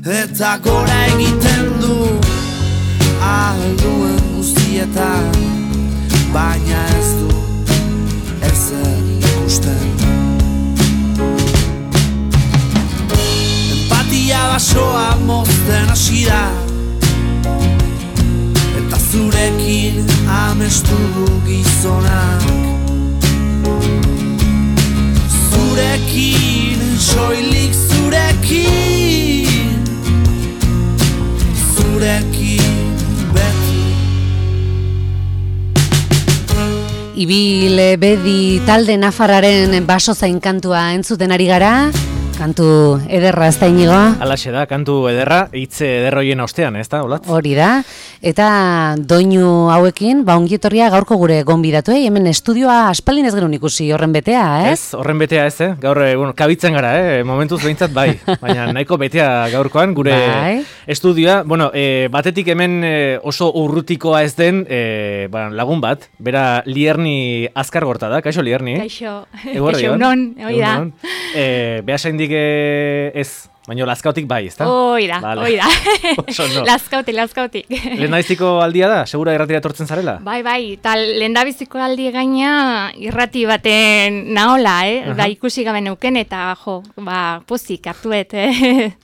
eta gora egiten du alduen guztietan, baina ez du ezer ikusten. Empatia basoa mozten hasi da, eta zurekin amestu du gizonak. Zurekin, soilik zurekin, zurekin beti. Ibil Bedi talde nafarraren baso zain kantua entzuten ari gara. Kantu ederra, ez da Inigo? Alaxe da, kantu ederra, hitz ederroien ostean, ez da, Olatz? Hori da, eta doinu hauekin, ongietorria gaurko gure gonbidatu, hemen estudioa aspaldin ez genuen ikusi horren betea, ez? Ez, horren betea ez, Gaur, kabitzen gara, momentuz behintzat bai, baina nahiko betea gaurkoan, gure estudioa, batetik hemen oso urrutikoa ez den lagun bat, bera Lierni Azkargorta da, kaixo Lierni? Kaixo, unon, hoi da. Behasaindik ez, baina Lazkautik bai, ez da? Hoi da. Lazkautik. Lehendabiziko aldia da? Segura irratira etortzen zarela? Bai, eta lehendabiziko aldi gaina irrati baten nahola, da ikusi gabe neuken, eta pozik hartuet,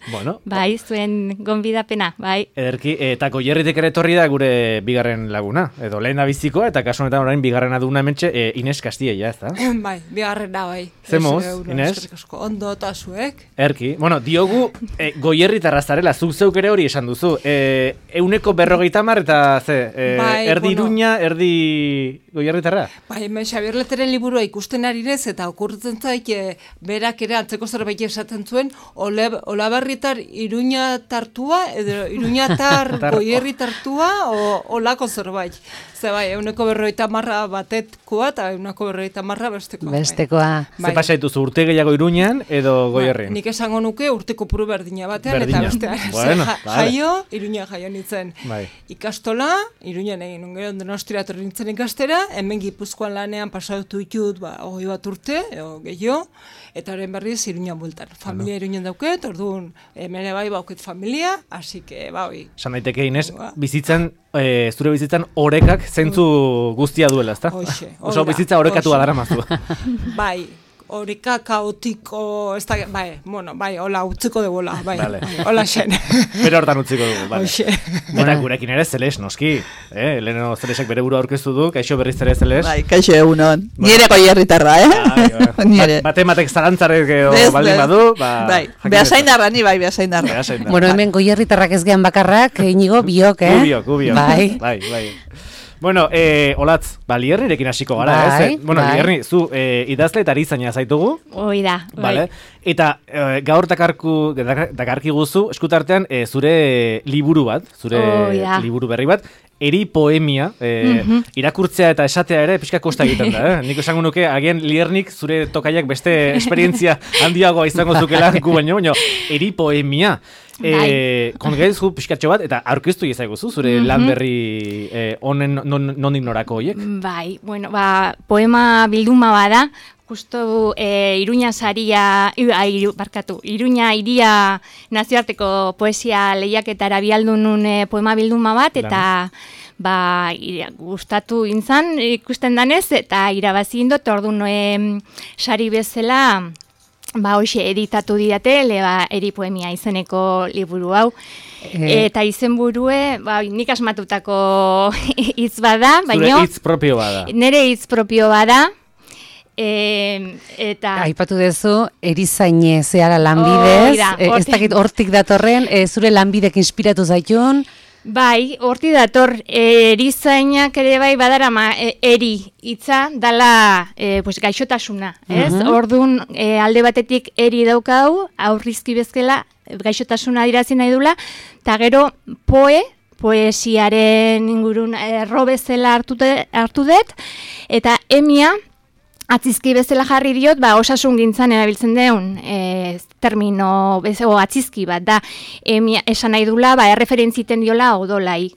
Bueno. Bai, zuen gonbidapena, bai. Ederki, eta Goierritik ere etorri da gure bigarren laguna, edo lehendabizikoa, eta kasu honetan orain bigarrena duguna hementxe, Ines Castilla, ez da? Bai, bigarrena bai. Zemuz, Ines? Ondo eta zuek. Erki, diogu Goierritarra zarela, zuk zeuk ere hori esan duzu. 150 eta erdi Iruña, erdi Goierritarra? Bai, hemen Xabier Leteren liburua ikusten ari nez, eta okurtzen zaik berak ere antzeko zerbait esaten zuen, Olabarritar Iruña tartua, edo Iruñatar Goierri tartua, olako zerbait. Ze bai, 150 batetkoa, eta 150 bestekoa. Bestekoa. Ze pasa dituzu, urte gehiago Iruñan edo Goierrin? Nik esango nuke urteko puru berdina batean, eta bestean. Jaio, Iruña jaio nintzen. Ikastola, Iruñan egin ungero Donostira etorri nintzen ikastera, hemen Gipuzkoan lanean pasatu ditut 20 urte, gehiago, eta horren berriz Iruñan bultan. Familia Iruñan dauket, orduan hemen bai bauket familia, así que bai. San daiteke Ines, zure bizitzan orekak zentzu guztia duela, ezta? Oso bizitza orekatua daramazu. Bai. Oreka kaotiko, ez da, hola, utziko dugu, hola xen. Bere hortan utziko dugu, bai. Eta gurekin ere Zeles, noski. Leheno Zelesek bere buru aurkeztu du, kaixo berriz ere Zeles. Bai, kaixo egunon. Nire Goierritarra, Batematek zalantzarek baldin badu, bai, behasaindarra, ni bai, behasaindarra. Hemen Goierritarrak ez gehan bakarrak, Inigo, biok, Gubiok. Bai. Olatz, Liernirekin hasiko gara, ez? Lierni, zu idazle eta erizaina zaitugu. Hoi da, bai. Eta gaur dakarki guzu, eskutartean zure liburu bat, liburu berri bat, eri poemia, irakurtzea eta esatea ere pixka kosta egiten da, Nik esango nuke, agian Liernik zure tokaiak beste esperientzia handiagoa izango zukela gu baino, eri poemia. Kongaizu pixkatxo bat, eta aurkeztu izaiguzu, zure lan berri honen nondik norako horiek? Bai, poema bilduma bada, justo Iruña Iria nazioarteko poesia lehiaketara bialdunun poema bilduma bat, eta gustatu intzan ikusten danez, eta irabazi indot, orduan sari bezala, hoxe editatu didate, eri poemia izeneko liburu hau. Eta izenburue, nik asmatutako hitz bada, baina... Zure hitz propio bada. Nere hitz propio bada. Eta... Aipatu dezu, erizaine zeara lanbidez, ez dakit hortik datorren, zure lanbidek inspiratu zaitun... Bai, horti dator, erizainak ere bai badara eri hitza dala gaixotasuna, ez? Orduan alde batetik eri daukau, aurrizki bezala gaixotasuna adierazten nahi dula, eta gero poesiaren ingurun erro bezala hartu dut, eta emia, atzizki bezala jarri diot, osasun gintzan erabiltzen deun termino, atzizki bat da, esan nahi dula, erreferentziten diola odolai.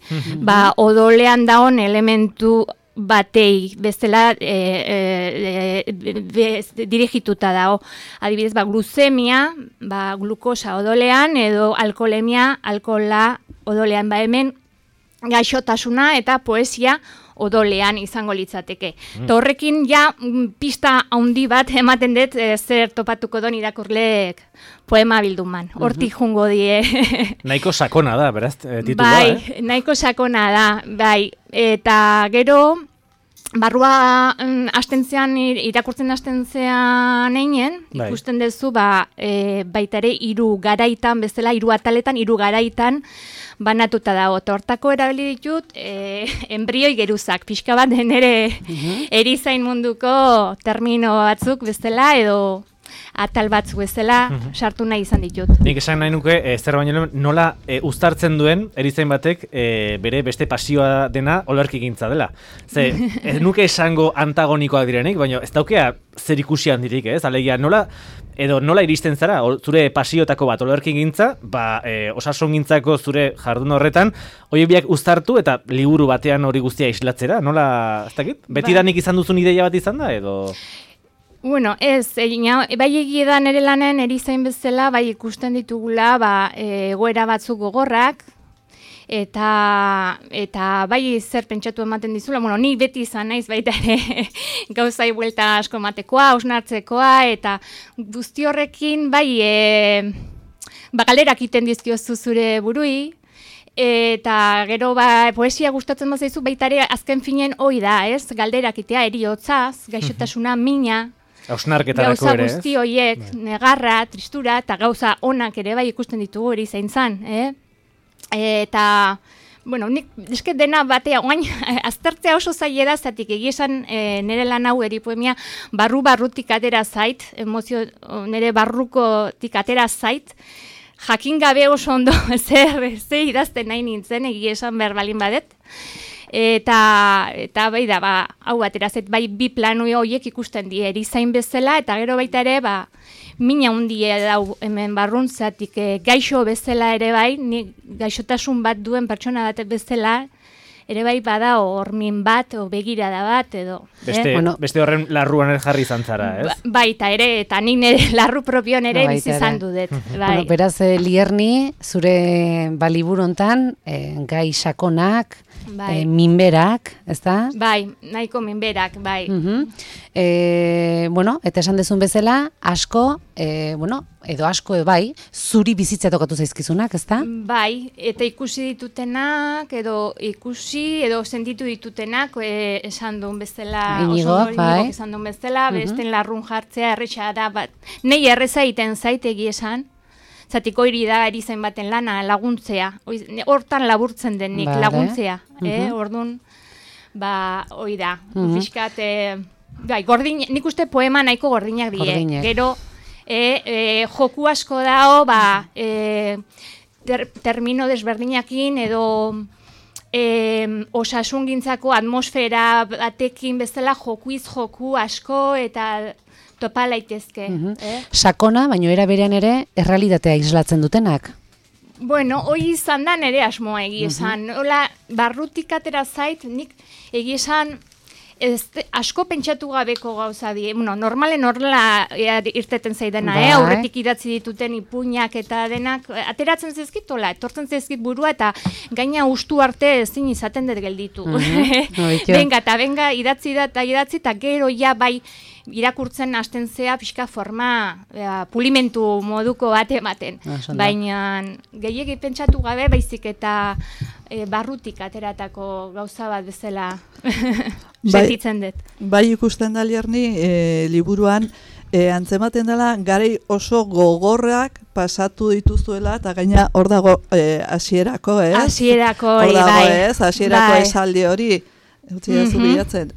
Odolean daun elementu batei bezala dirigituta dago. Adibidez, gluzemia, glukosa odolean, edo alkoholemia, alkohola odolean, hemen gaixotasuna eta poesia odolean izango litzateke. Horrekin pista handi bat ematen dut zer topatuko don irakurleek poema bilduman. Hortik jungo die. Nahiko sakona da, beraz, titulua, Bai, nahiko sakona da, bai. Eta gero, barrua irakurtzen hastentzean einen, ikusten duzu, baita ere, 3 garaitan, bezala, 3 ataletan, 3 garaitan, banatuta dago. Hortako erabili ditut, embrioi geruzak, pixka bat nere erizain munduko termino batzuk bezala, edo atal batzuk bezala sartu nahi izan ditut. Nik esan nahi nuke, zer baino nola uztartzen duen erizain batek bere beste pasioa dena olerkigintza dela. Ze, ez nuke esango antagonikoak direnik, baina ez daukea zer ikusi handirik, ez? Alegia, nola iristen zara, zure pasiotako bat olerkigintza, osasungintzako zure jardun horretan, hori biak uztartu eta liburu batean hori guztia islatzera, nola, ez dakit? Betidanik izan duzun ideia bat izan da, edo... Bueno, bai egiedan ere lanen erizain bezala, bai ikusten ditugula, egoera batzuk gogorrak, eta bai zer pentsatu ematen dizula, ni beti izan naiz baita ere gauzai buelta asko ematekoa, hausnartzekoa, eta guzti horrekin bai galderak iten dizkiozu zure burui, eta gero poesia gustatzen bazaizu baita ere azken finen hoi da, ez? Galderak itea eriotzaz, gaixotasuna, mina, gauza guzti horiek, negarra, tristura, eta gauza onak ere bai ikusten ditugu erizaintzan, eta, nik eske dena batea, oain, aztertzea oso zaila da, zatik egiesan nire lan hau eripoemia barrutik atera zait, emozio nire barrukotik atera zait, jakin gabe oso ondo zer idazten nahi nintzen, egiesan behar balin badet, eta bai da, hau aterazet, bai bi planu horiek ikusten die erizain bezala, eta gero baita ere, mina hundie dau hemen barruntzatik gaixo bezala ere bai, gaixotasun bat duen pertsona bat bezala, ere bai bada hormin bat, o begirada bat, edo. Beste horren larruan jarri izan zara, ez? Baita ere, eta nik nire larru propion ere bizi izan dudet. Beraz, Lierni, zure liburu hontan, gai sakonak, minberak, ez da? Bai, nahiko minberak, bai. Eta esan dezun bezala, asko, edo asko bai, zuri bizitza tokatu zaizkizunak, ez da? Bai, eta ikusi ditutenak, edo sentitu ditutenak, esan duen bezala, Inigok, esan duen bezala, besten larrun jartzea, erretxa da, nei erreza iten zaitegi esan, zatiko hiri da erizain baten lana, laguntzea, hortan laburtzen denik, laguntzea, orduan, hoi da, fiskat, nik uste poema nahiko gordinak die, gero, joku asko dao, termino desberdinakin, edo osasungintzako atmosfera batekin bezala jokuiz joku asko, eta topa laitezke. Sakona, baino era berean ere, errealitatea islatzen dutenak? Hoi izan da nire asmoa egiesan. Barrutik atera zait, nik egiesan asko pentsatu gabeko gauza die. Normalen horrela irteten zaidena, aurretik idatzi dituten ipuinak eta denak, ateratzen zezkitola, etortzen zezkit burua, eta gaina ustu arte ezin izaten dut gelditu. Benga, idatzi eta gero bai irakurtzen hasten zea pixka forma pulimentu moduko bat ematen. Baina gehiegi pentsatu gabe baizik eta barrutik ateratako gauza bat bezala sentitzen dut. Bai ikusten da Lierni, liburuan antzematen dela garai oso gogorrak pasatu dituzuela, eta gaina hor dago hasierako, ez? Hasierako, bai. Hor dago, ez? Hasierako esaldi hori, utzi da zu bilatzen.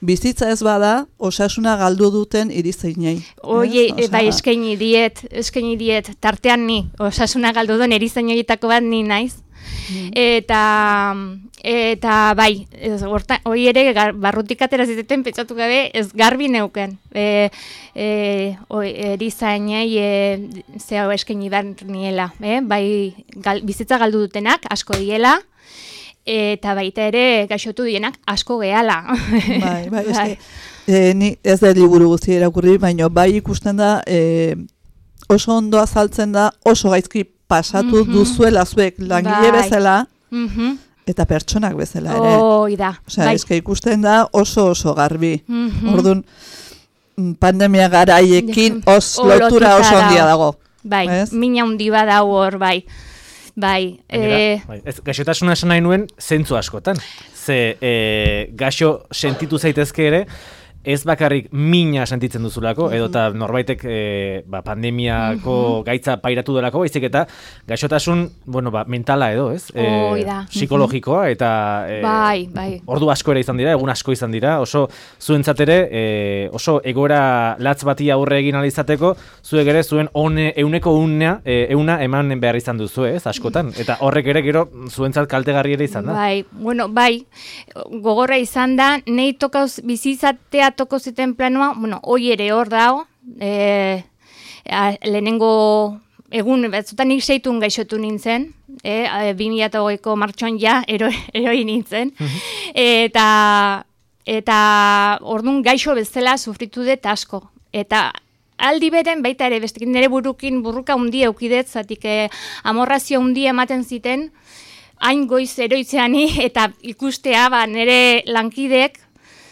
Bizitza ez bada, osasuna galdu duten erizainei. Bai, eskaini diet, tartean ni, osasuna galdu duen erizain horietako bat ni naiz. Eta bai, hori ere barrutik atera ziteten pentsatu gabe ez garbi neuken. Erizainei zehau eskaini behar niela, bai bizitza galdu dutenak, asko diela, eta baita ere gaixotu dienak asko gehala. Bai. Ni ez da liburu guzti irakurri, baina bai ikusten da oso ondo azaltzen da, oso gaizki pasatu duzuela zuek langile bezala, eta pertsonak bezala ere. Da. Osea, eske ikusten da oso garbi. Orduan, pandemia garaiekin lotura oso handia dago. Bai, mina handi bada hor, bai. Gaixotasuna esan nahi nuen zentzu askotan. Ze gaixo sentitu zaitezke ere, ez bakarrik mina sentitzen duzulako, edota norbaitek pandemiako gaitza pairatu delako, baizik eta gaixotasun, mentala edo, ez? Psikologikoa, eta ordu asko ere izan dira, egun asko izan dira, oso zuentzat ere, oso egoera latz bati aurre egin alizateko, zuek ere zuen euneko euna eman behar izan duzu, ez, askotan, eta horrek ere gero zuentzat kaltegarri ere izan da. Bai, gogorra izan da, nahi tokauz bizizatea toko ziten planoa, hoi ere hor dago, lehenengo egun, batzutan nik 6 gaixotu nintzen, 2008ko martxoan eroi nintzen, eta orduan gaixo bezala sufritu dut asko, eta aldi beren baita ere, bestekin nire burruka hundi eukidet, zatik amorrazio hundi ematen ziten, hain goiz eroitzeani, eta ikustea nire lankidek,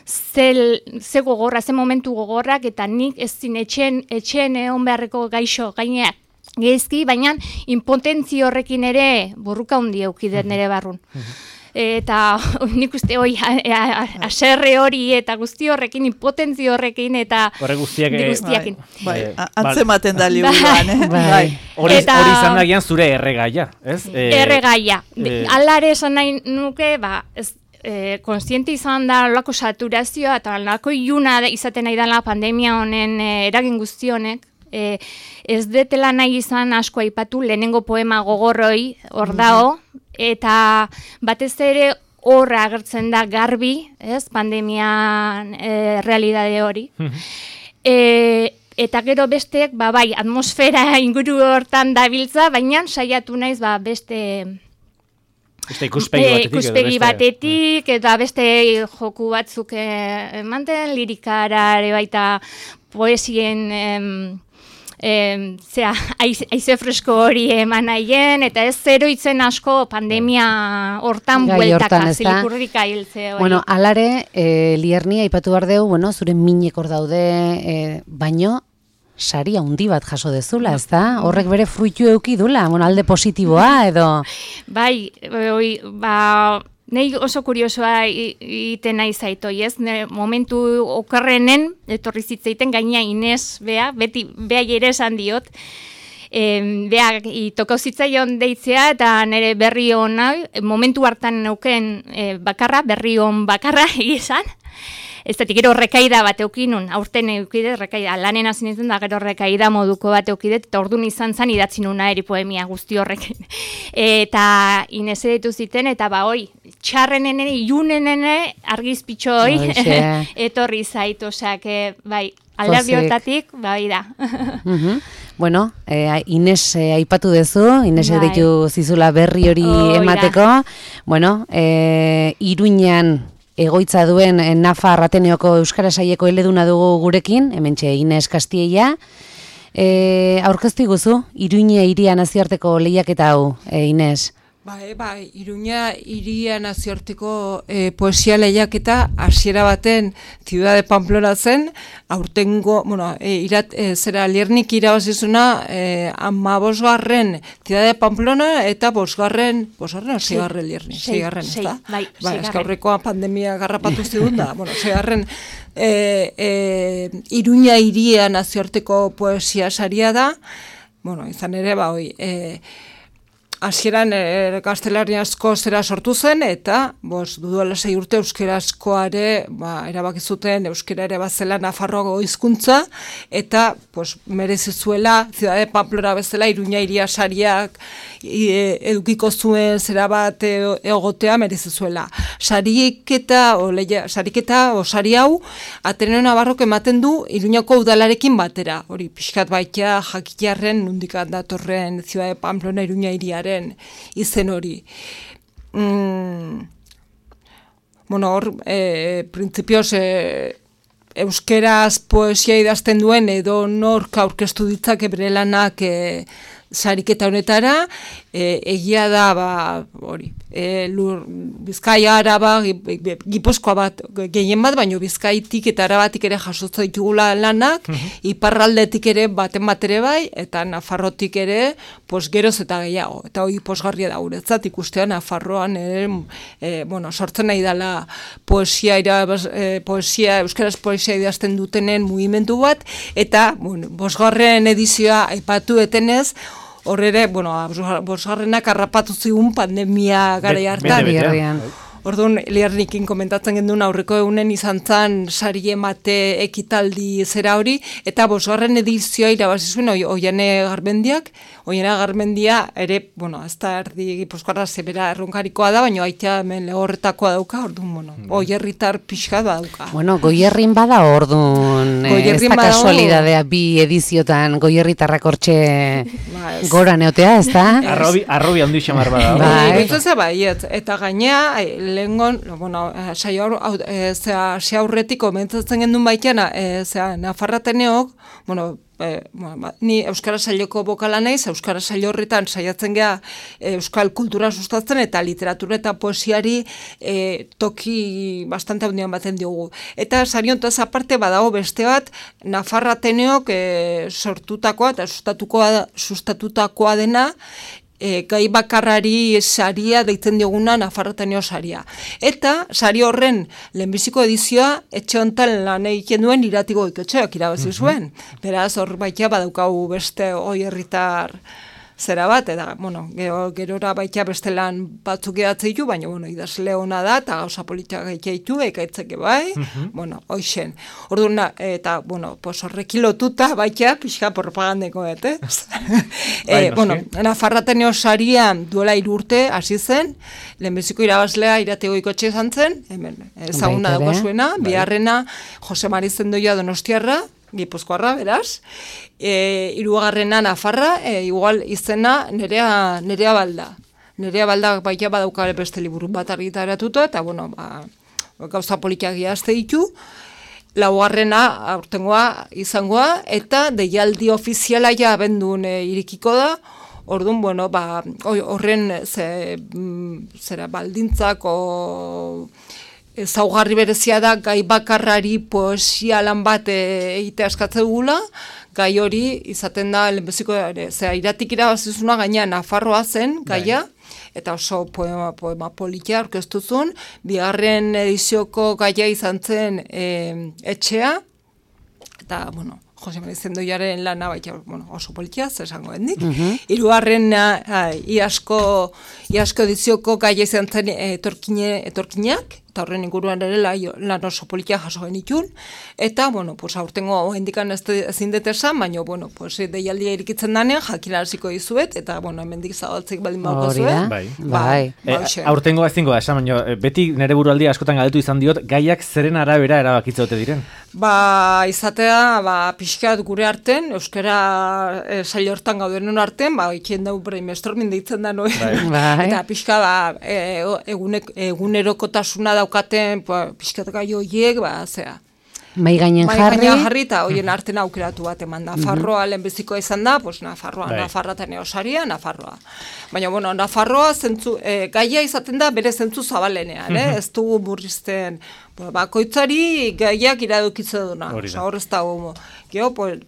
ze gogorra, ze momentu gogorrak, eta nik ez zin etxen egon beharreko gaixo gaineak gezki, baina impotentzio horrekin ere burruka hundi eukidet nire barrun. Eta nik uste aserre hori eta guzti horrekin, impotentzio horrekin eta guztiakin. Antzematen da liburuan, Hori izan da gian zure erregaia, ez? Erregaia. Alare esan nahi nuke, ez konstiente izan da olako saturazioa eta olako iluna izaten nahi dela pandemia honen eragin guzti honek. Ez detela nahi izan asko aipatu lehenengo poema gogorroi hor dago, eta batez ere horra agertzen da garbi, ez, pandemian realidade hori. Eta gero besteek, bai, atmosfera inguru hortan dabiltza, baina saiatu naiz beste ikuspegi batetik, eta beste joku batzuk emanten, lirikara ere baita poesien aize fresko hori eman nahien, eta ez zeroitzen asko pandemia hortan bueltaka, zilikurrika hiltze hori. Alare, Lierni, aipatu behar dugu, zure minek hor daude, baino, sari handi bat jaso dezula, ez da? Horrek bere fruitu euki dula, alde positiboa, edo? Bai, nahi oso kuriosoa iten nahi zaitoi, ez? Momentu okerrenen, etorri zitzaiten gaina Inez, beti ere esan diot, toko zitzaion deitzea, eta nire berri hona, momentu hartan neuken berri hon bakarra egizan, ez da, gero rekaida bat eukinun, aurten eukidet, rekaida, lanen hasi nintzen da, gero rekaida moduko bat eukidet, eta orduan izan zen idatzi nuna poemia guzti horrekin. Eta Inez editu ziten, eta txarrenene, ilunenene, argizpitxo hoi, etorri zait, osak, bai, alderdi hortatik, bai da. Bueno, Inez aipatu dezu, Inez editu zizula berri hori emateko, Iruñan egoitza duen Nafar Ateneoko Euskara Saieko eleduna dugu gurekin, hementxe Inez Kastieia. Aurkeztu iguzu, Iruña hiria nazioarteko lehiaketa hau, Inez? Bai, Iruña hiria nazioarteko poesia lehiaketa hasiera baten Ciudad de Pamplona zen, aurtengo, zera Liernik irabazizuna 15. Ciudad de Pamplona eta 5. Liernik, 6. ezta? Bai, aurrekoa pandemia garrapatu zigun da, 6. Iruña hiria nazioarteko poesia saria da, izan ere, hasieran gaztelaniazko zera sortu zen, eta duela 6 urte euskarazkoare erabaki zuten euskara ere bazela Nafarroako hizkuntza, eta merezizuela Ciudad de Pamplona bezala Iruña hiria sariak edukiko zuen zera bat egotea merezizuela. Sariketa o sari hau Ateneo Navarrok ematen du Iruñako udalarekin batera, hori pixkat baita jakitarren nondik datorren Ciudad de Pamplona Iruña hiriaren izen hori. hor, printzipioz, euskeraz poesia idazten duen edo nork aurkeztu ditzake bere lanak sariketa honetara, egia da, hori, Bizkaia, Araba, Gipuzkoa bat, gehien bat, baino Bizkaitik eta Arabatik ere jasotzen ditugula lanak, iparraldetik ere baten bat ere bai, eta Nafarrotik ere, geroz eta gehiago. Eta hori posgarria da guretzat, ikustea Nafarroan sortzen nahi dela poesia, euskaraz poesia idazten dutenen mugimendu bat, eta bosgarren edizioa aipatu etenez, hor ere, bosgarrenak harrapatu zigun pandemia gara hartan. Orduan, Liarnikin komentatzen genduen aurreko egunen izan zan sari emate ekitaldi zera hori, eta bosgarren edizioa irabazi zuen Oiane Garmendia ere, ez da erdi Gipuzkoarra zebera erronkarikoa da, baina aitea hemen lehorretakoa dauka, orduan, Goierritar pixka dauka. Goierrin bada orduan, ez da kasualidadea bi ediziotan Goierritarrak hortxe gora neotea, ez da? Arrobi handi xamar bada. Eta gainea, lehengon, ze aurretik komentatzen gendun baitena, Nafarrateneok, ni Euskara Sailoko bokala naiz, Euskara Saio horretan saiatzen gea euskal kultura sustatzen eta literatura eta poesiari toki bastante handian baten diogu. Eta sari hontaz aparte badago beste bat, Nafarrateneok sortutakoa eta sustatutakoa dena, gai bakarrari saria deitzen dioguna Nafarroteneo saria. Eta sari horren lehenbiziko edizioa etxe honetan lan egiten duen Iratiko Goikotxeak irabazi zuen. Beraz, hor baitea badaukagu beste Goierritar zera bat, eta, gerora baitea beste lan batzuk edatzei du, baina, idazle hona da, eta gauza politak gaitu, ekaitzeke bai, hoixen. Orduan, eta, horrekin lotuta baitea, pixka propagandeko, Nafarrateneo sarian duela 3 urte hasi zen, lehenbiziko irabazlea Irate Goikotxe izan zen, hemen, ezaguna dago zuena, biharrena Jose Mari Zendoia Donostiarra, Gipuzkoarra, beraz, 3. Nafarra, igual izena Nerea Balda. Nerea Balda baitea badauka beste liburu bat argitaratuta, eta, gauza politak gehazte ditu, 4. aurtengoa izangoa, eta deialdi ofiziala ja abendun irikiko da, orduan, horren zera baldintzako ezaugarri berezia da gai bakarrari poesia lan bat egitea eskatzen dugula, gai hori izaten da lehenbiziko Iratik irabazizuna gaina Nafarroa zen gaia, eta oso poema politia aurkeztu zuen, 2. edizioko gaia izan zen etxea, eta, Jose Mari Zendoiaren lana baita oso politia, esango hendik. 3. Iazko edizioko gaia izan zen etorkinak, eta horren inguruan ere lan oso politia jaso genitun, eta, aurtengo hendikan ezin dut esan, baina, deialdia irikitzen danean, jakinaraziko dizuet, eta, hemendik zabaltzik baldin bauko zuen. Bai. Aurtengo ezingo da, esan, baina, beti nire burualdia askotan galdetu izan diot, gaiak zeren arabera erabakitza dute diren? Izatea, pixkat gure arten, euskara sail hortan gaudenen arten, ikien dugu brainstorming deitzen da noi. Eta pixka, egunerokotasuna daukaten, pixkat gai horiek, Mai gainen jarri eta horien arten aukeratu bat eman. Nafarroa lehenbizikoa izan da, Nafarrateneo saria, Nafarroa. Baina, Nafarroa gaia izaten da bere zentzu zabalenean, ez dugu murrizten, bakoitzari gaiak iradokitzen duna. Hor ez dago,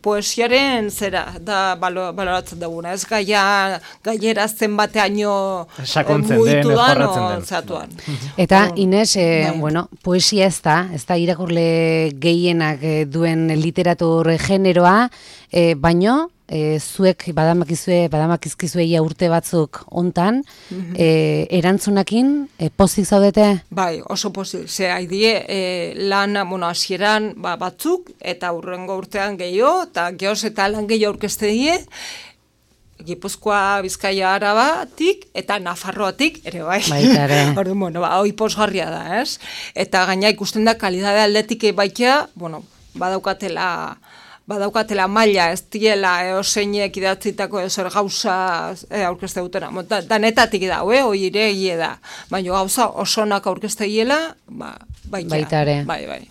poesiaren zera, da baloratzen duguna, ez gaierazten bateaino mugitu da, zatuan. Eta, Ines, poesia ez da irakurle gehienak duen literatur generoa, baino, zuek badamakizkizue ia urte batzuk hontan, erantzunakin pozik zaudete? Bai, oso pozik. Haidie lan hasieran batzuk, eta hurrengo urtean gehiago, eta gehoz eta lan gehiago aurkezte die, Gipuzkoa, Bizkaia, Arabatik eta Nafarroatik ere bai. Orduan, hoi posgarria da, ez? Eta gaina ikusten da kalidade aldetik baitea, badaukatela badaukatela maila, ez diela, oseinek idatzitako zer gauza aurkezte dutena. Danetatik da, hoi ere egie da. Baina gauza osonak aurkezte hiela, baitare. Bai.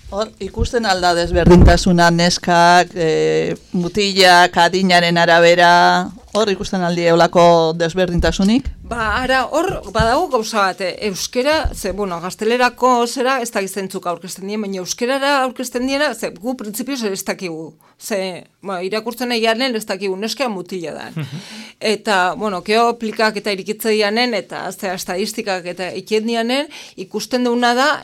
Hor, ikusten alda desberdintasuna neskak, mutilak, adinaren arabera, hor ikusten aldi eolako desberdintasunik? Ara, hor, badago gauza bat, euskera, gaztelerako zera ez da gizentzuk aurkezten dien, baina euskerara aurkezten diena, gu printzipioz ez dakigu. Irakurtzen egianen ez dakigu, neskea mutila da. Eta, geoplikak eta irikitze dianen, eta estadistikak eta ikien dianen, ikusten duguna da,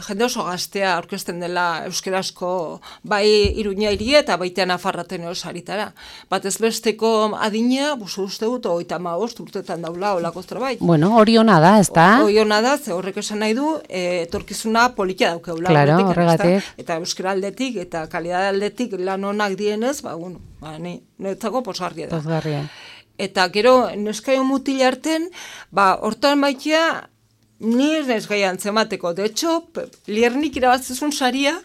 jende oso gaztea aurkezten dela euskerasko, bai Iruña hiri eta baitean Nafarraten saritara. Bat ez besteko adina, uste dut, 35 urtetan daula, olako zerbait. Hori ona da, ez da? Hori ona da, ze horrek esan nahi du, etorkizuna politia daukeula. Claro, horregatik. Eta euskera aldetik, eta kalidade aldetik lan onak dienez, niretzako posgarria da. Posgarria. Eta gero, neskaio mutil arten, hortan baitia, ni ez neskaian zemateko. De hecho, Liernik irabatzezun saria,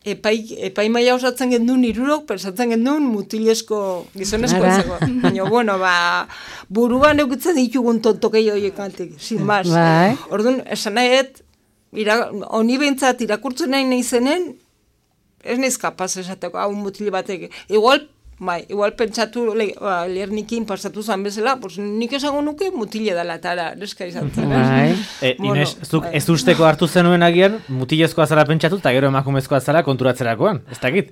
epaimaia osatzen gendun irurok, pensatzen gendun mutilezko gizonezko ezeko. Baina, buruan eukitzen ditugun tontokei horiek antik, sin mas. Orduan, esan nahiet, honi behintzat irakurtzen nahi zenen, ez nahiz kapaz esateko, hau mutile batek. Igual pentsatu Liernikin pasatu zan bezala, nik esango nuke mutile dela, eta neska izan zen. Inez, zuk ez usteko hartu zenuen agian, mutilezkoa zara pentsatu, eta gero emakumezkoa zara konturatzerakoan, ez dakit.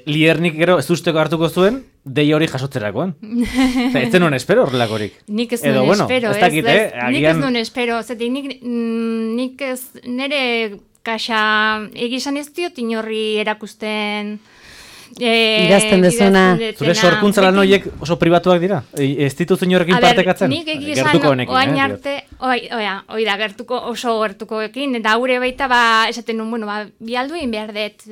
Liernik gero ez usteko hartuko zuen, dei hori jasotzerakoan. Ez zenuen espero horrelakorik. Nik ez nuen espero, nik ez nuen espero, nik ez nire kaxa egizan ez diot inorri erakusten... idazten dezuna. Zure sorkuntza lan horiek oso pribatuak dira? Ez dituzu inorekin partekatzen? Nik egizan oain arte, oso gertuko ekin, eta haure baita esaten nun, bi alduin behar dut,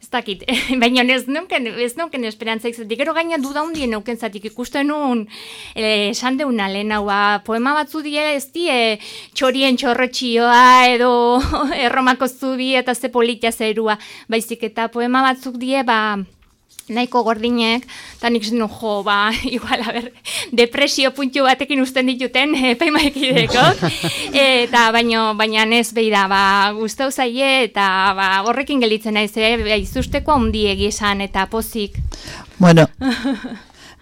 ez dakit, baina ez nuken esperantzaik zatik, gero gaina duda hundien neuken zatik, ikusten nun, esan deuna lehen hau, poema batzu die ez die, txorien txorrotxioa edo erromako zubi eta ze politia zerua, baizik eta poema batzuk die, nahiko gordinek, eta nik zen igual, depresio puntu batekin usten dituten epaimaekideko, eta baina ez behira, guztau zaie, eta horrekin gelitzen naiz, izusteko handiegi esan, eta pozik.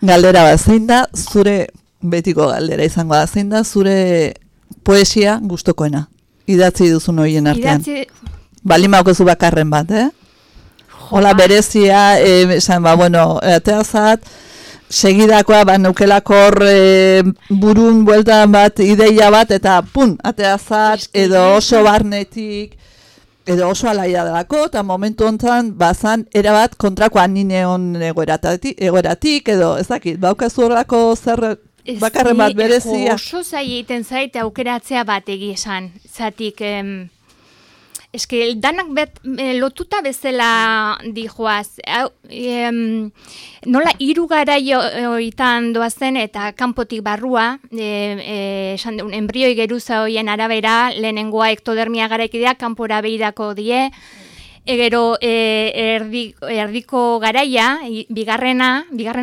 Galdera bat, zein da, zure, betiko galdera izango da, zein da, zure poesia gustokoena, idatzi duzun horien artean. Balimauko zu bakarren bat, Hola berezia, esan, ateazat, segidakoa, neukelakor burun bueltan bat, ideia bat, eta ateazat, edo oso barnetik, edo oso alaia delako, eta momentu honetan, bazan, erabat kontrakoa nineon egoeratik, edo, ezakit, baukazu horrelako zer bakarren bat berezia. Oso zaiten zaite aukeratzea bat egizan, zatik... Eske, danak lotuta bezala dijoaz. Nola hiru garaioetan doazen eta kanpotik barrua, enbrioi geruza hoien arabera, lehenengoa ektodermia garaikidea, kanpora behirako die, gero erdiko garaia, bigarren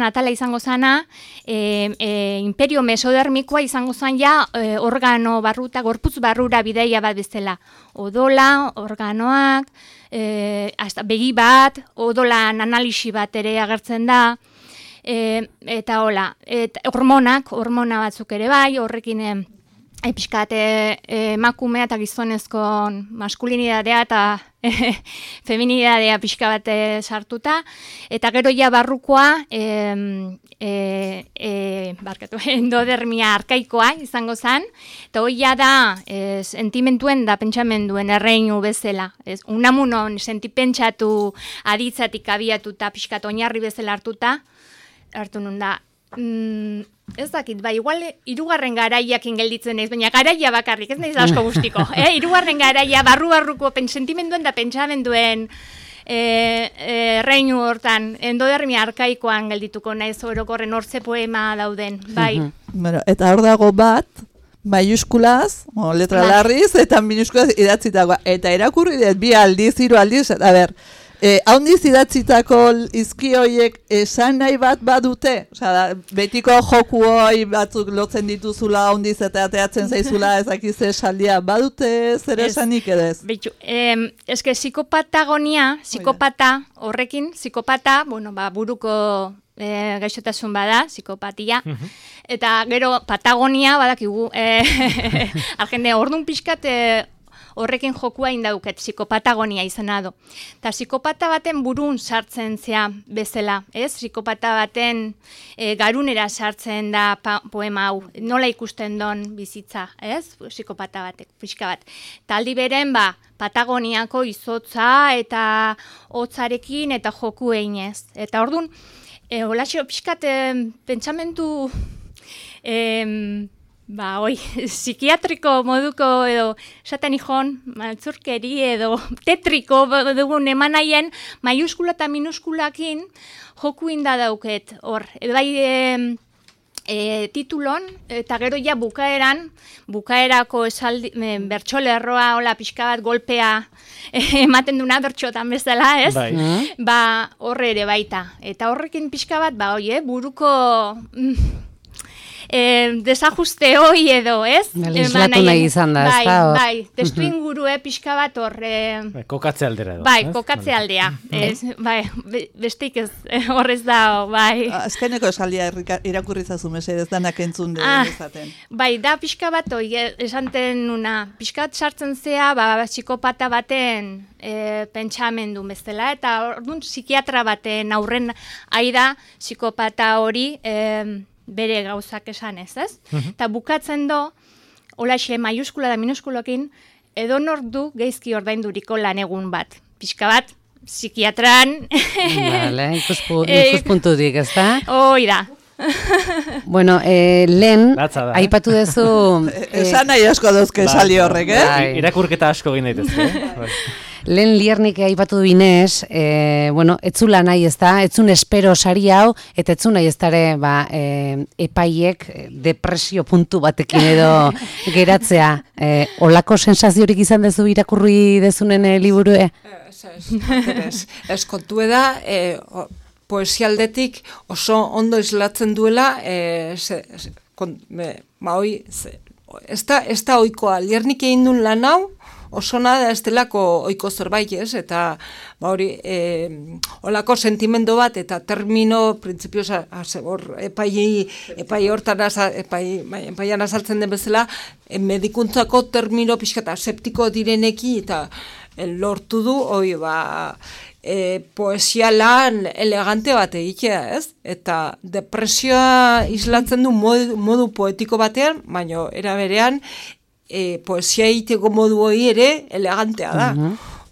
atala izango zana, imperio mesodermikoa izango zan organo barruta, gorputz barrura bideia bat bezala. Odola, organoak, begi bat, odolan analisi bat ere agertzen da, eta hola, hormona batzuk ere bai, horrekin pixkate emakumea eta gizonezko maskulinidadea eta feminidadea pixka bat sartuta, eta gero barrukoa endodermia arkaikoa izango zen, eta hoia da sentimentuen da pentsamenduen erreinu bezala. Unamunon sentipentsatu aditzatik abiatu eta pixkat oinarri bezala hartu nun da. Ez dakit, igual hirugarren garaiakin gelditzen naiz, baina garaia bakarrik, ez naiz asko guztiko. Hirugarren garaia barru-barruko sentimenduen da pentsamenduen reinu hortan, endodermia arkaikoan geldituko naiz orokorren hortze poema dauden, bai. Eta hor dago bat, maiuskulaz, letra larriz, eta minuskulaz idatzitagoa. Eta erakurri dut, 2 aldiz, 3 aldiz, a ber, Haundiz idatzitako izki horiek esan nahi bat badute? Osea, betiko joku hori batzuk lotzen dituzula haundiz eta ateatzen zaizula ezakiz esaldia badute zer esanik edez? Eske psikopatagonia, psikopata horrekin, psikopata, buruko gaixotasun bada, psikopatia, eta gero Patagonia badakigu, argende orduan pixkat horrekin jokua indauket, psikopatagonia izena du. Eta psikopata baten burun sartzen zea bezala, ez? Psikopata baten garunera sartzen da poema hau, nola ikusten don bizitza, ez? Psikopata batek, pixka bat. Eta aldi beren, Patagoniako izotza eta hotzarekin eta joku einez. Eta orduan, holaxo pixkat pentsamentu psikiatriko moduko edo esaten ikon, maltzurkeri edo tetriko dugun eman nahien, maiuskula eta minuskulakin joku inda dauket hor. Titulon, eta gero ja bukaerako bertxolerroa, hola pixka bat golpea ematen duna bertxotan bezala, ez? Horre ere baita. Eta horrekin pixka bat, buruko desajuste hoi edo, ez? Islatu nahi izan da, ez da? Testu ingurue pixka bat hor... Kokatze aldera edo. Kokatze aldea. Besteik ez horrez da, Azkeneko esaldia irakurri zazu mesedez danak entzun dezaten. Da pixka bat hoi, esanten nuna, pixka bat sartzen zea, psikopata baten pentsamendu bezala, eta orduan psikiatra baten aurren aida psikopata hori bere gauzak esan ez? Eta bukatzen do, holaxe maiuskula da minuskulokin, edonor du geizki ordainduriko lan egun bat. Pixka bat, psikiatran... Ikuspuntutik, ez da? Hoi da. Lehen, aipatu dezu... Esan nahi asko dauzke sali horrek, Irakurketa asko egin daitezke. Lehen Liernik aipatu binez, etzula nahi ez da, etzun espero sari hau, eta etzun nahi ez dare epaiek depresio puntu batekin edo geratzea. Olako sensaziorik izan dezu irakurri dezunen liburue? Ez kontu da, poesialdetik oso ondo islatzen duela, ez da oikoa, Liernik egin duen lan hau, osona da ez delako oiko zerbait, ez? Eta olako sentimendu bat eta termino, printzipioz, epai hortan azaltzen den bezala, medikuntzako termino pixkata septiko direneki eta lortu du, poesia lan elegante bat egitea, ez? Eta depresioa islatzen du modu poetiko batean, baina era berean, poesia egiteko modu hori ere elegantea da.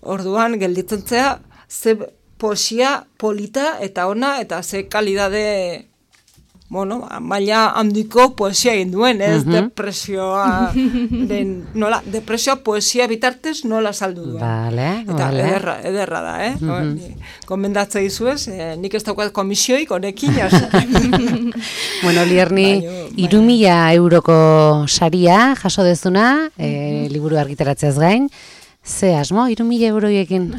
Orduan, gelditzen zea, ze poesia polita eta ona, eta ze kalidade, maila handiko poesia egin duen, ez? Depresioa, depresioa poesia bitartez nola saldu duen. Eta ederra da, Komendatza izuez, nik ez daukat komisioik honekin, Lierni, 3.000 euroko saria jaso dezuna, liburu argitaratzeaz gain, ze asmo, 3.000 euroiekin?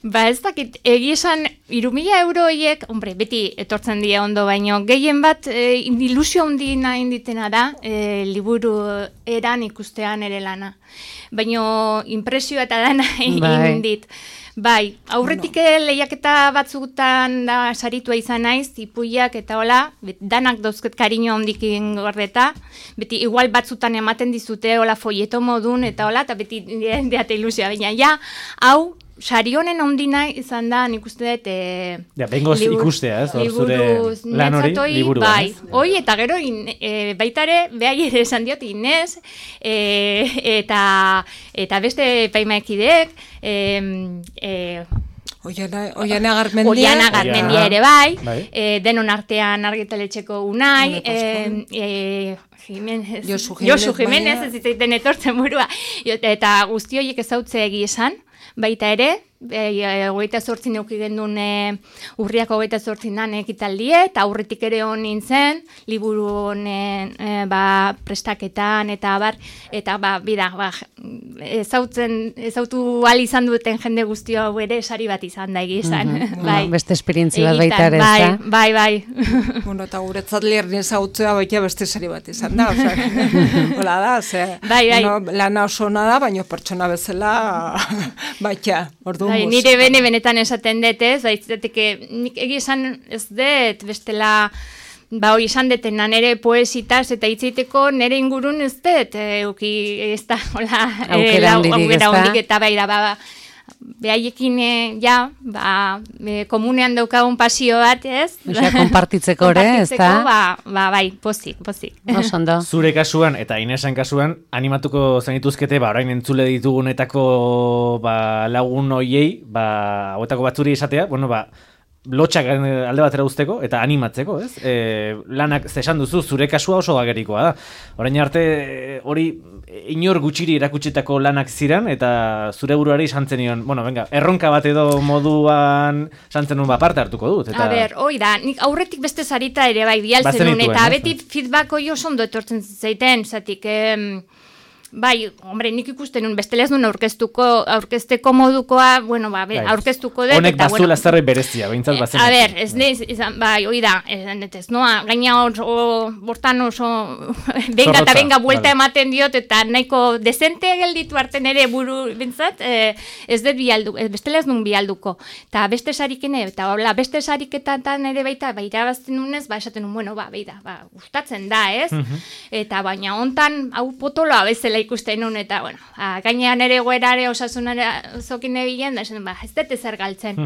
Ez dakit, egizan 3.000 euroiek, beti etortzen dira ondo, baino gehien bat ilusio handina inditena da, liburu eran ikustean ere lana. Baino impresioa eta dana indit. Aurretik lehiaketa batzutan da saritua izan naiz, ipuiak eta hola, danak dauzket kariño handikin gordeta, beti igual batzutan ematen dizute hola folieto modun eta hola, eta beti deate ilusioa, baina hau, sari honen ondina izan da, nik uste dut... bengoz ikustea, ez? Zure lan hori, liburu. Hoi, eta gero, baitare, behai ere esan diot, Inez, eta beste paimaekidek, Oiana Garmendia ere bai, denon artean argitaletxeko Unai, Josu Jimenez, ez zitzaiten etortzen burua, eta guzti horiek ezautze egi esan, baita ere, 28 neuki gendun urriak 28 ekitaldie, eta aurretik ere hon nintzen, liburu honen prestaketan, eta ezautu ahal izan duten jende guztio hau ere sari bat izan da egizan. Beste esperientzi bat baita ere, ez da? Bai. Bueno, eta guretzat lierni ezautzea baita beste sari bat izan da, hola da, lana oso ona da, baina pertsona bezala baita, ordu bai, nire benetan esaten dut, ez? Nik egizan ez dut, bestela, hoi esan detena nire poesitaz eta hitzeiteko nire ingurun ez dut, ez da, hola, aukera hondik, eta behaiekin, komunean daukagun pasio bat, ez? Kompartitzeko ere, ez da? Bai, pozik. Osondo. Zure kasuan eta Inesen kasuan, animatuko zenituzkete, orain entzule ditugunetako lagun hoiei, hauetako batzuri esatea, lotxak alde batera uzteko eta animatzeko, ez? Lanak zesan duzu, zure kasua oso agerikoa da. Orain arte hori inor gutxiri erakutsetako lanak ziren eta zure buruari santzen nion, erronka bat edo moduan santzen nuen parte hartuko dut. A ber, hoi da, nik aurretik beste zarita ere bai bialtzen nuen, eta beti feedback hoi oso ondo etortzen zaiten, zatik... Bai, hombre, nik ikusten nun, bestela ez nun aurkezteko modukoa, aurkeztuko dut. Honek bazuela zerbait berezia, behintzat bazen. A ber, ez neiz, bai, hoi da, ez noa, gaina bortan oso, benga buelta ematen diot, eta nahiko dezente gelditu arten ere buru, bintzat, ez dut bialduko, bestela ez nun bialduko. Eta beste sarikene, eta beste sariketan ere baita, irabazten nunez, esaten nun, gustatzen da, ez? Eta baina hontan, hau potoloa bezala ikusten nun, eta, gainean ere goerare osasunare zokin ebilen, da, ez dut ezer galtzen.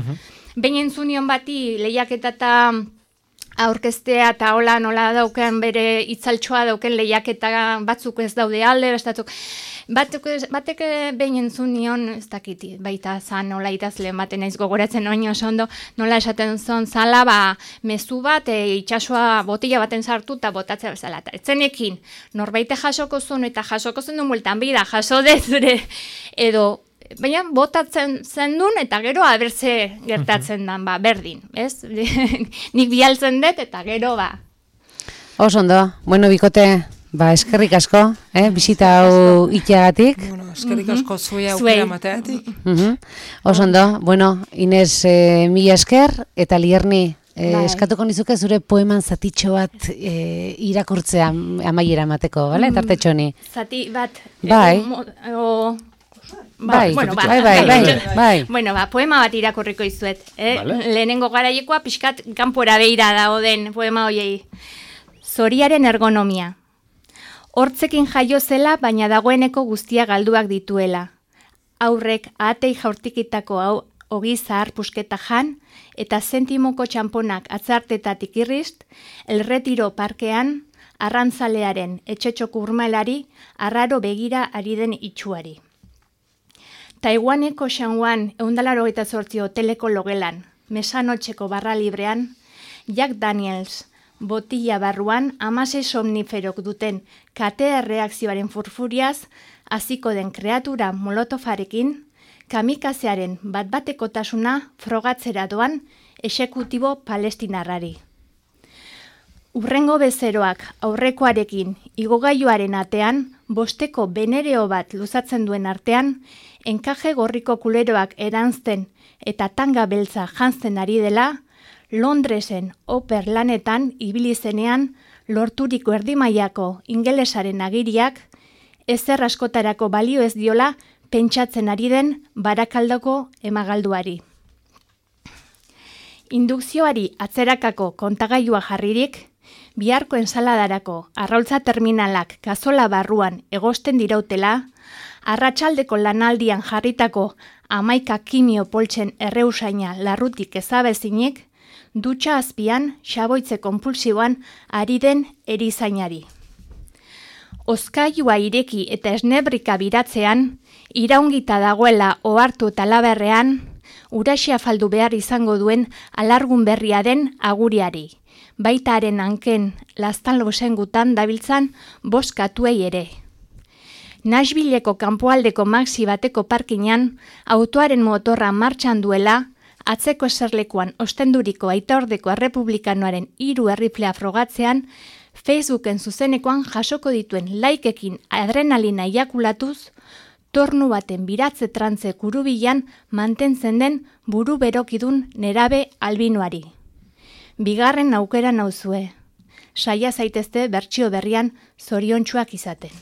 Behin entzunion bati lehiaketa eta aurkeztea eta nola dauken bere itzaltxoa dauken lehiaketa batzuk ez daude alde, bestatuk. Batek behin entzun nion, ez dakiti, baita zan, nola idazleen baten naiz gogoratzen oino oso ondo, nola esaten zon zala, mezu bat, itxasua botila baten sartu eta botatzea bezala. Eta etzenekin, norbaite jasoko zuen eta jasoko zen duen bueltan bida, jaso dezure, edo, baina botatzen zen duen eta gero abertze gertatzen dan, berdin, ez? Nik bialtzen dut eta gero, Oso ondo, bikote... eskerrik asko, bisita hau iteagatik. Eskerrik asko zuea aukera mateatik. Oso ondo, Ines, mila esker, eta Lierni, eskatuko nizuke zure poeman zatitxo bat irakurtzea amaiera mateko, bale? Tartetxoni. Zati bat. Bai. Poema bat irakurriko izuet. Lehenengo garaiekoa pixkat kanpora beira dagoen poema hoiei. Zoriaren ergonomia. Hortzekin jaio zela, baina dagoeneko guztia galduak dituela. Aurrek ahatei jaurtikitako ogi zahar pusketa jan, eta zentimoko txamponak atzartetatik irrizt, El Retiro parkean, arrantzalearen etxetxoko urmalari, arraro begira ari den itxuari. Taiwaneko Shanwan 188 hoteleko logelan, mesanotxeko barra librean, Jack Daniels, botila barruan 16 somniferok duten katea reakzioaren furfuriaz, hasiko den kreatura molotofarekin, kamikazearen bat-batekotasuna frogatzera doan exekutibo palestinarrari. Urrengo bezeroak aurrekoarekin igogailuaren atean, bosteko benereo bat luzatzen duen artean, enkaje gorriko kuleroak eranzten eta tanga beltza jantzen ari dela, Londresen oper lanetan ibili zenean lorturiko erdimaiako ingelesaren agiriak ezer askotarako balio ez diola pentsatzen ari den Barakaldoko emagalduari. Indukzioari atzerakako kontagailua jarririk, biharko ensaladarako arraultza terminalak gazola barruan egosten dirautela, arratsaldeko lanaldian jarritako 11 kimio poltsen erreusaina larrutik ezabezinik, dutxa azpian xaboitze konpulsiboan ari den erizainari. Ozkailua ireki eta esnebrika biratzean, iraungita dagoela ohartu eta laberrean, uraxia faldu behar izango duen alargun berria den aguriari, baita haren hanken lastan losengutan dabiltzan boskatuei ere. Nashvilleko kanpoaldeko maxi bateko parkinan, autoaren motorra martxan duela, atzeko eserlekuan ostenduriko Aitaordeko Errepublikanoaren 3 erriflea frogatzean, Facebooken zuzenekoan jasoko dituen likeekin adrenalina eiakulatuz, tornu baten biratze trantze kurubilan mantentzen den buru berokidun nerabe albinoari. Bigarren aukera nauzue. Saia zaitezte bertsio berrian zoriontsuak izaten.